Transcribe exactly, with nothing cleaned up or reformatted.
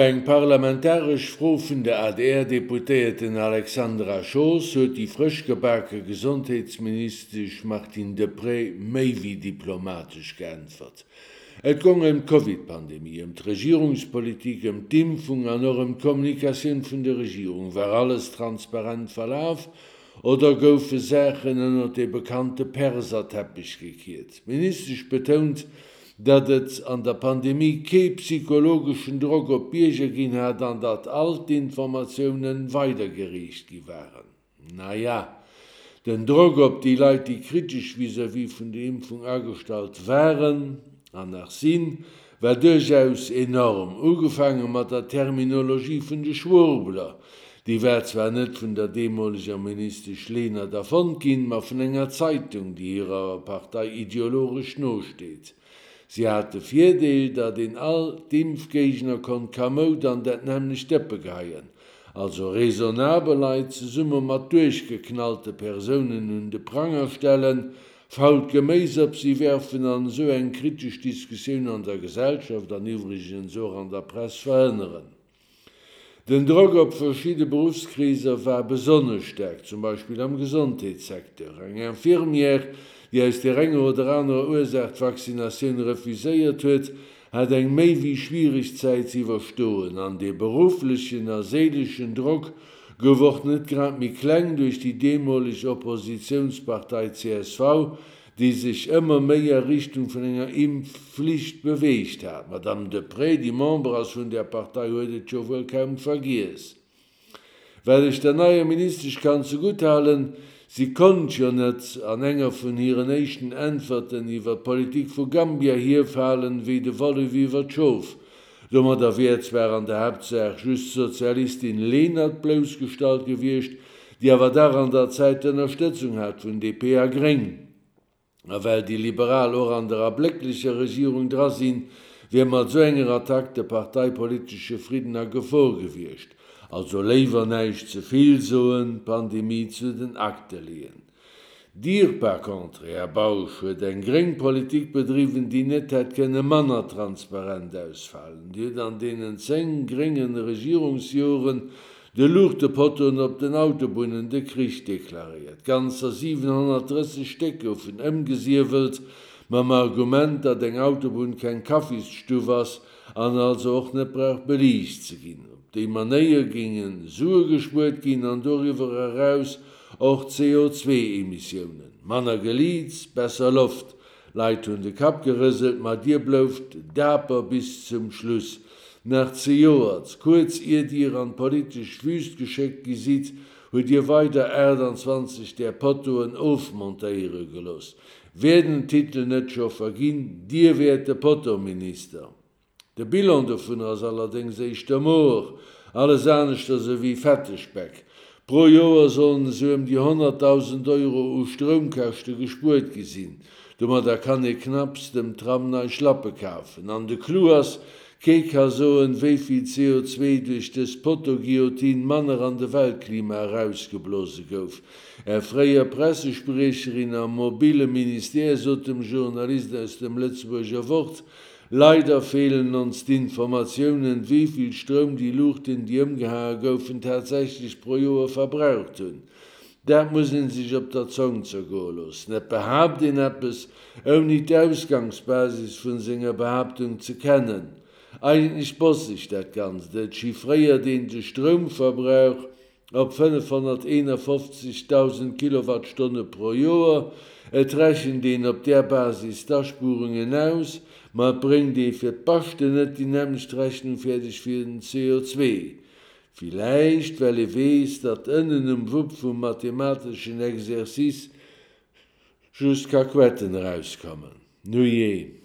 Eng parlamentaresch Fro vun der A D R-Deputéierten Alexandra Schoos huet déi frësch gebake Gesondheetsministesch Martine Deprez méi wéi diplomatesch geäntwert. Et gong ëm d'Covid-Pandemie, ëm d'Regierungspolitik, ëm d'Impfung an och ëm d'Kommunikatioun vun der Regierung. War alles transparent verlaf oder goufe Saachen ënnert dee bekannte Perserteppech gekiert? D'Ministesch betount, datt et an der Pandemie kee psychologeschen Drock op d'Bierger ginn hat an datt all d'Informatioune weidergereecht gi waren. Naja, den Drock op déi Leit, déi kritesch vis-à-vis vun der Impfung agestallt waren an nach sinn, war duerchaus enorm. Ugefaange mat der Terminologie vun de Schwurbler. Déi war zwar net vun der deemoleger Ministesch Lenert erfonnt ginn, ma vun enger Zeitung, déi hirer Partei ideologesch nosteet. Si hat de Virdeel, datt een all d'Impfgéigner konnt kamoud an dat nämmlecht Dëppe geheien, also raisonnabel Leit zesumme mat duerchgeknallte Persounen un de Pranger stellen, fault Geméis op si werfen an esou eng kritesch Diskussioun an der Gesellschaft an iwwregens och an der Press verhënneren. Den Drock op verschidde Beruffskreeser war besonnesch staark, zum Beispill am Gesondheetssecteur. Eng Infirmière, déi aus där enger oder anerer Ursaach d'Vaccinatioun refuséiert huet, hat eng méi wéi schwiereg Zäit ze iwwerstoen. An dee berufflechen a séileschen Drock gouf och net grad méi kleng duerch déi deemoleg Oppositiounspartei C S V, déi sech ëmmer méi a Richtung vun enger Impfflicht beweegt hat. D'Madame Deprez, déi Member ass vun där Partei, huet et jo wuel kaum vergiess. Wat ech der neier Ministesch kann zegutt halen, si konnt jo net an enger vun hiren éischten Äntwerten iwwer d'Politik vu Gambia hierfalen wéi de Wollef iwwer d'Schof. Domadder wier zwar an der Haaptsaach just d'Sozialistin Lenert bloussgestallt gewiescht, déi awer dach an der Zäit d'Ënnerstëtzung hat vun D P a Gréng. A well déi Liberal och an der ablécklecher Regierung dra sinn, wier mat esou enger Attack de parteipolitesche Fridden a Gefor gewiescht. Also léiwer näischt ze vill soen, d'Pandemie zu den Akte leeën. Dir par contre, Här Bausch, huet eng gréng Politik bedriwwen, déi net hätt kënne manner transparent ausfalen. Dir hutt an deenen zéng grénge Regierungsjoren de Luuchtepottoen op den Autobunnen de Krich deklaréiert. Ganzer siwenhonnertdrësseg Stéck goufen ëmgesiewelt, mam Argument, datt eng Autobunn keng Kaffisstuff ass an also och net brauch beliicht ze ginn. Op déi Manéier géinge Sue gespuert ginn an doriwwer eraus och C O zwee Emissiounen. Manner Geliits, besser Loft. Leit hunn de Kapp gerëselt, ma dir blouft daper bis zum Schluss. Nach zejoert, kuerz ier dir an d'politesch Wüst geschéckt gi sidd, hutt dir weider aachtanzwanzeg där Pottoen ofmontéiere gelooss. Wär den Titel net scho verginn, dir wäert de Pottominister. De Bilan dovun ass allerdéngs éischter moer, alles aneschters ewéi fette Speck. Pro Joer sollen esou ëm déi honnertdausend Euro u Stroumkäschte gespuert gi sinn. Domadder kann ee knapps dem Tram nei Schlappe kafen. An de Clou ass, Kee ka soen, wéi vill C O zwee duerch dës Potto-Guillotine manner an de Weltklima erausgeblose gouf. Är fréier Pressespriecherin am mobile Ministère sot dem Journalist aus dem Lëtzebuerger Wort, Leider fehlen uns d'Informatiounen, wéi vill Stroum déi Luuchten, déi ëmgehae goufen, tatsächlech pro Joer verbraucht hunn. Dat muss een sech op der Zong zergoe loossen. Et behaapt een eppes, ouni d'Ausgangsbasis vun senger Behaaptung ze kennen. Eigentlech bosseg dat Ganzt. Et chiffréiert een de Stroumverbrauch op fënnefhonnerteenafofzegdausend Kilowattstonne pro Joer. Et rechent een op där Basis d'Aspuerungen aus, ma et bréngt ee fir d'Baschten net déi nämmlecht Rechnung fäerdeg fir den C O zwee. Villäicht well ee weess, datt ënnen um Wupp vum mathemateschen Exercice just Kakuetten erauskommen. Nujee.